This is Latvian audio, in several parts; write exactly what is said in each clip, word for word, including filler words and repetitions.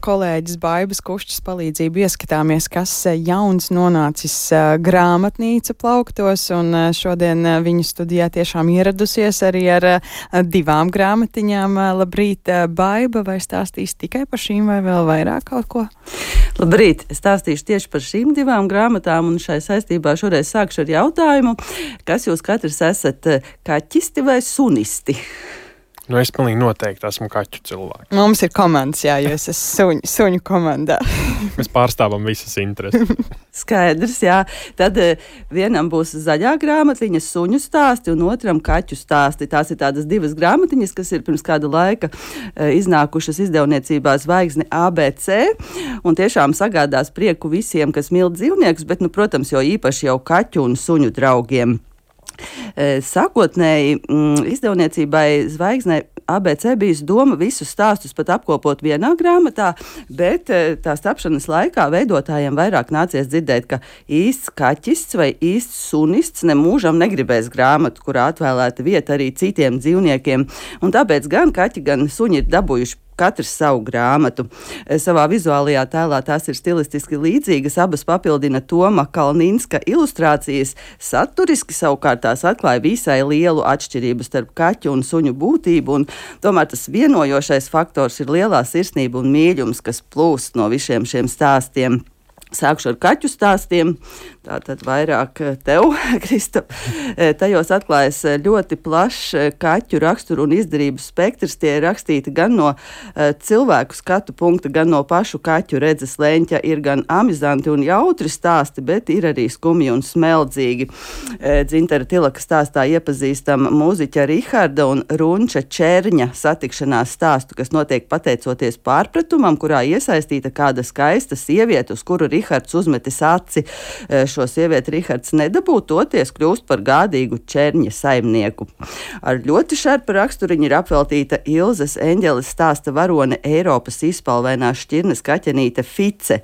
kolēģis Baibas Kušķas palīdzību ieskatāmies, kas jauns nonācis grāmatnīca plauktos, un šodien viņa studijā tiešām ieradusies arī ar divām grāmatiņām. Labrīt, Baiba, vai stāstīs tikai par šīm vai vēl vairāk kaut ko? Labrīt, es stāstīšu tieši par šīm divām grāmatām, un šai saistībā šoreiz sākšu ar jautājumu, kas jūs katrs esat, kaķisti vai sunisti? Nu, es pilnīgi noteikti esmu kaķu cilvēks. Mums ir komandas, jā, jo es esmu suņu, suņu komandā. Mēs pārstāvam visas intereses. Skaidrs, jā. Tad vienam būs zaļā grāmatiņa suņu stāsti un otram kaķu stāsti. Tās ir tādas divas grāmatiņas, kas ir pirms kāda laika iznākušas izdevniecībā Zvaigzne A B C un tiešām sagādās prieku visiem, kas mīl dzīvniekus, bet, nu, protams, jo īpaši jau kaķu un suņu draugiem. Sākotnēji izdevniecībai Zvaigznei A B C bijis doma visus stāstus pat apkopot vienā grāmatā, bet tās tapšanas laikā veidotājiem vairāk nācies dzirdēt, ka īsts kaķists vai īsts sunists nemūžam negribēs grāmatu, kurā atvēlēta vieta arī citiem dzīvniekiem, un tāpēc gan kaķi, gan suņi ir dabūjuši katrs savu grāmatu. Savā vizuālajā tēlā tās ir stilistiski līdzīgas, abas papildina Toma Kalninska ilustrācijas. Saturiski savukārt tās atklāja visai lielu atšķirību starp kaķu un suņu būtību, un tomēr tas vienojošais faktors ir lielā sirsnība un mīļums, kas plūst no visiem šiem stāstiem. Sākšu ar kaķu stāstiem, tātad vairāk tev, Kristap. Tajos atklājas ļoti plašs kaķu raksturu un izdarību spektrs. Tie ir rakstīti gan no cilvēku skatu punkta, gan no pašu kaķu redzes leņķa. Ir gan amizanti un jautri stāsti, bet ir arī skumji un smeldzīgi. Dzintara Tilaka stāstā iepazīstam mūziķa Riharda un Runča Čerņa satikšanās stāstu, kas notiek pateicoties pārpratumam, kurā iesaistīta kāda skaista sieviete, uz kuru Rihards uzmetis aci. Šo sievieti Rihards nedabū, toties kļūst par gādīgu Čerņa saimnieku. Ar ļoti šarpa raksturiņu ir apveltīta Ilzes Eņģeles stāsta varone Eiropas izpalvainā šķirnes kaķenīte Fice.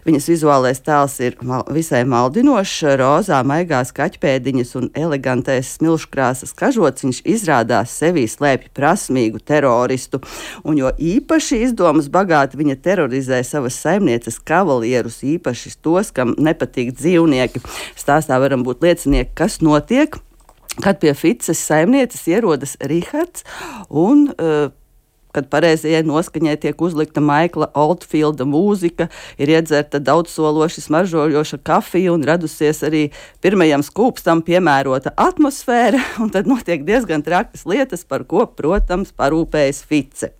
Viņas vizuālais tēls ir mal- visai maldinošs, rozā maigās kaķpēdiņas un elegantais smilškrāsas kažociņš izrādās sevī slēpj prasmīgu teroristu. Un jo īpaši izdomas bagāti viņa terorizē savas saimnieces kavalierus, īpaši tos, kam nepatīk dzīvnieki. Stāstā varam būt liecinieki, kas notiek, kad pie Fices saimnieces ierodas Rihards un uh, kad pareizajai noskaņai tiek uzlikta Maikla Oldfielda mūzika, ir iedzerta daudzsološi smaržojoša kafija un radusies arī pirmajam skūpstam piemērota atmosfēra, un tad notiek diezgan trakas lietas, par ko, protams, parūpējas Fice.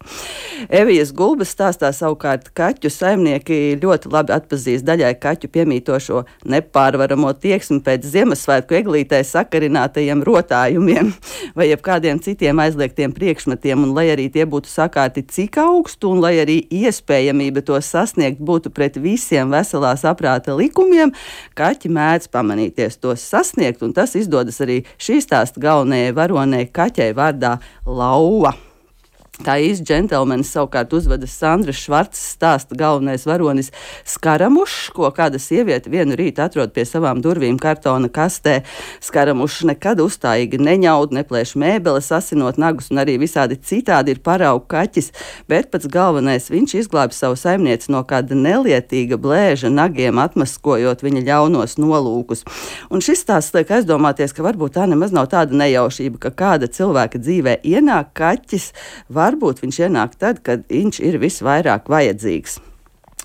Evijas Gulbes stāstā savukārt kaķu saimnieki ļoti labi atpazīst daļai kaķu piemītošo nepārvaramo tieksmi pēc Ziemassvētku eglītē sakarinātajiem rotājumiem vai jebkādiem citiem aizliegtiem priekšmetiem, un lai arī tie būtu sakārti cik augstu un lai arī iespējamība to sasniegt būtu pret visiem veselā saprāta likumiem, kaķi mēdz pamanīties tos sasniegt, un tas izdodas arī šī stāsta galvenajai varonei kaķei vārdā Lauva. Tā īsts džentelmenis savukārt uzvedas Sandras Švarcas stāsta galvenais varonis Skaramušs, ko kāda sieviete vienu rītu atrod pie savām durvīm kartona kastē. Skaramušs nekad uzstājīgi neņaud, neplēš mēbeles, asinot nagus un arī visādi citādi ir paraugu kaķis, bet pats galvenais viņš izglābi savu saimnieci no kāda nelietīga blēža nagiem, atmaskojot viņa ļaunos nolūkus. Un šis stāsts liek aizdomāties, ka varbūt tā nemaz nav tāda nejaušība, ka kāda cilvēka dzīvē ienāk kaķis, varbūt viņš ienāk tad, kad viņš ir visvairāk vajadzīgs.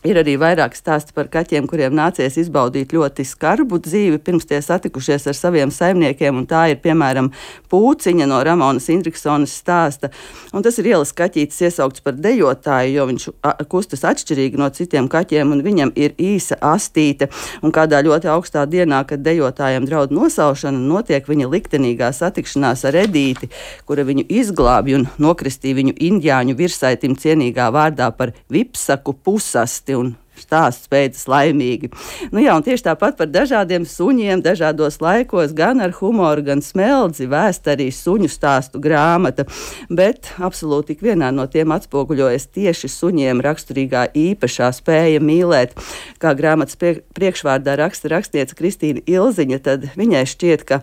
Ir arī vairāk stāsti par kaķiem, kuriem nācies izbaudīt ļoti skarbu dzīvi, pirms tie satikušies ar saviem saimniekiem, un tā ir, piemēram, Pūciņa no Ramonas Indriksonas stāsta. Un tas ir ielas kaķītis iesaukts par dejotāju, jo viņš kustas atšķirīgi no citiem kaķiem, un viņam ir īsa astīte. Un kādā ļoti augstā dienā, kad dejotājiem draud nosaušana, notiek viņa liktenīgā satikšanās ar Edīti, kura viņu izglābj un nokristīja viņu indiāņu virsaitim cienīgā vārdā par Vipsaku pusasti. Un stāsts beidzas laimīgi. Nu jā, un tieši tāpat par dažādiem suņiem dažādos laikos, gan ar humoru, gan smeldzi vēst arī suņu stāstu grāmata, bet absolūti ik vienā no tiem atspoguļojas tieši suņiem raksturīgā īpašā spēja mīlēt. Kā grāmatas priekšvārdā raksta rakstniece Kristīna Ilziņa, tad viņai šķiet, ka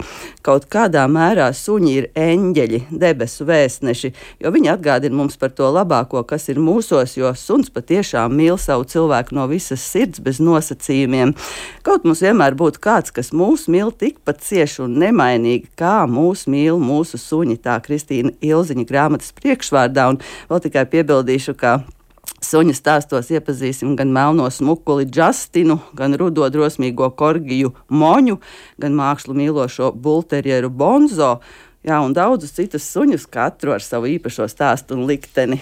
kaut kādā mērā suņi ir eņģeļi, debesu vēstneši, jo viņi atgādina mums par to labāko, kas ir mūsos, jo suns patiešām mīl savu cilvēku no visas sirds bez nosacījumiem. Kaut mums vienmēr būtu kāds, kas mūs mīl tikpat cieši un nemainīgi, kā mūs mīl mūsu suņi, tā Kristīna Ilziņa grāmatas priekšvārdā, un vēl tikai piebildīšu, ka suņa stāstos iepazīsim gan melno smukuli Justinu, gan rudo drosmīgo korgiju Moņu, gan mākslu mīlošo bulterjeru Bonzo, jā, un daudzus citus suņus, katru ar savu īpašo stāstu un likteni.